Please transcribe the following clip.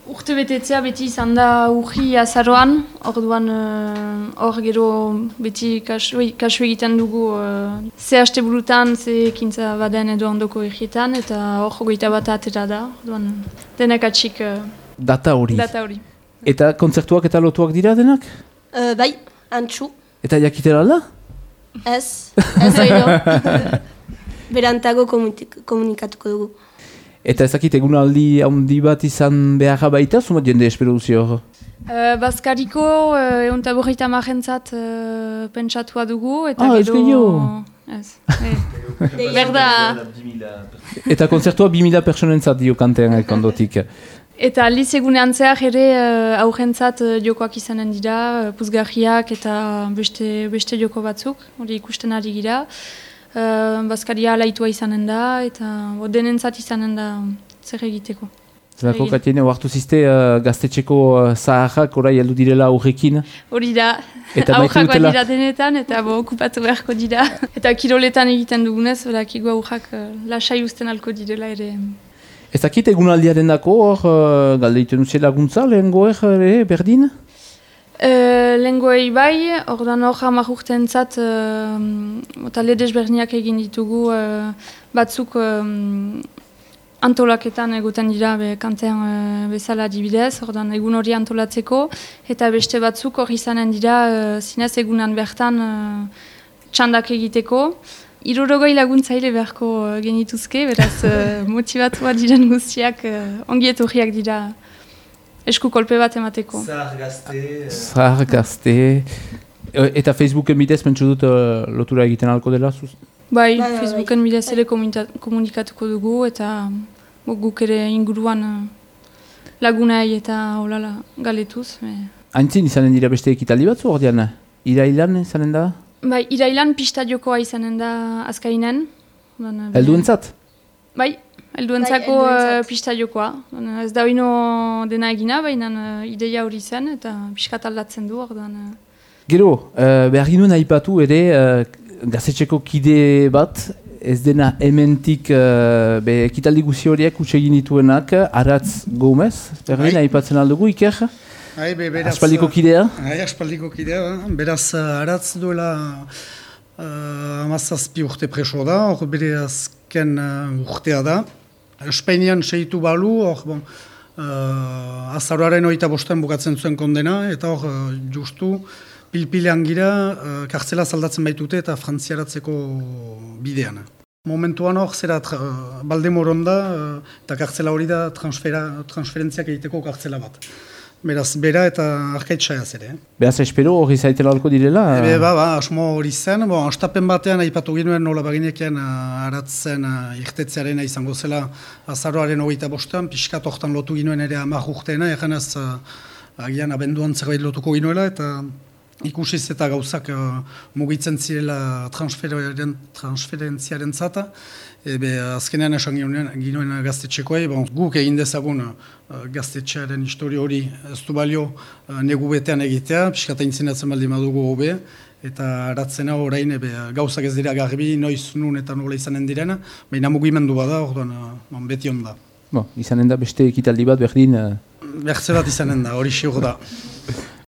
Urte betetzea beti izan da urri azaroan, orduan hor gero beti kasu egiten dugu ze haste burutan, ze ekintza baden edo ondoko egietan, eta hor 21 atera da, orduan denak atxik data hori. Eta kontzertuak eta lotuak dira denak? Bai, antxu. Eta jakitera da? Ez oido. Berantago komunikatuko dugu. Eta ezakit egunaldi handi bat izan beharra baita, zumat jende espero duzi hor? Bazkariko egun taburrita marrentzat pentsatua dugu, eta gero... ez gehiago? Ez. Berda... Eta konzertua 2000 personentzat dio kantean ekondotik. Eta aldiz egunean zehar ere aurrentzat jokoak izanen dira, puzgarriak eta beste joko batzuk, hori ikusten ari gira. Bazkaria alaitua izanen da, eta denentzat izanen da zer egiteko. Zerako Katiene, oartu ziste gaztetxeko zaharrak orai heldu direla aurrekin? Hori da, aurrak bat dira denetan, eta okupatu beharko dira. Eta kiroletan egiten dugunez, berakiko aurrak lasai usten alko direla ere. Ez dakit egunaldiaren dako, galdeiten duzien laguntza, lehengoer berdin? Lengoei bai, ordan hor 10 urteentzat talde desberniak egin ditugu batzuk antolaketan egoten dira kantean bezala adibidez, ordan egun hori antolatzeko, eta beste batzuk hor izanen dira zinez egunan bertan txandak egiteko. 60 laguntzaile beharko genituzke, beraz motibatua diren guztiak ongi etorriak dira. Esku kolpe bat emateko. Zahar gazte. Eta Facebooken bidez mentsu dut lotura egiten alko dela? Bai, Facebooken bidez ere komunikatuko dugu eta guk ere inguruan lagunai eta holala galetuz. Haintzin izanen dira beste ekitaldi batzu ordean? Irailan izanen da? Bai, irailan pista jokoa izanen da azkainen. Helduentzat? Bai. Helduentzako pista jokoa. Ez da oino dena egina, baina ideia hori zen eta piskat aldatzen du. Gero, behar ginuen aipatu ere gazetxeko kide bat, ez dena hementik ekitaldi guzi horiek utsegin dituenak, Aratz Gomez, berdin aipatzen aldugu, Iker? Aspaldiko kidea? Aspaldiko kidea, beraz Aratz duela 17 urte preso da, hor bere azken urtea da. Espainian segitu balu, azaroaren 25 bukatzen zuen kondena, eta hor justu pilpilean gira kartzela zaldatzen baitute eta frantziaratzeko bidean. Momentuan hor zera Baldemoron da eta kartzela hori da transferentziak egiteko kartzela bat. Beraz, bera eta arkaitxaiaz ere. Beraz, espero hori zaitela alko direla? Asmo hori zen. Astapen batean aipatu ginuen nola baginekien Aratzen irtetzearen izango zela azaroaren 25an, pixkat hortan lotu ginuen ere 10 urteena, eganez agian abenduan zerbait lotuko ginuela, eta ikusiz eta gauzak mugitzen zirela transferentziaren zata. Azkenean esan ginuen gaztetxekoei, guk egin dezagun gaztetxearen histori hori ez du balio negu betean egitea, piskata intzinatzen baldin badugu hobe, eta Aratzena orain gauzak ez dira garbi, noiz, nun eta nola izanen direna, baina mugimendu bada, orduan beti onda. Izanen da beste ekitaldi bat berdin? Bertze bat izanen da, hori siur da.